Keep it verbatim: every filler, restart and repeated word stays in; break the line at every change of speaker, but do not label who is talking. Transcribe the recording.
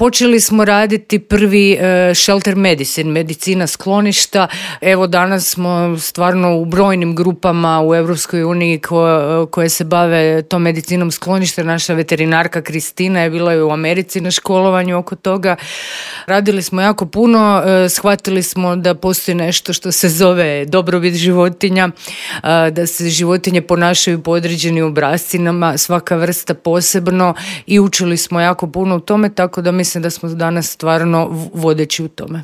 Počeli smo raditi prvi uh, shelter medicine, medicina skloništa. Evo danas smo stvarno u brojnim grupama u Europskoj uniji ko, koje se bave tom medicinom skloništa. Naša veterinarka Kristina je bila u Americi na školovanju oko toga. Radili smo jako puno, uh, shvatili smo da postoji nešto što se zove dobrobit životinja, uh, da se životinje ponašaju po određenim obrascima, svaka vrsta posebno, i učili smo jako puno u tome, tako da mislim da smo danas stvarno vodeći u tome.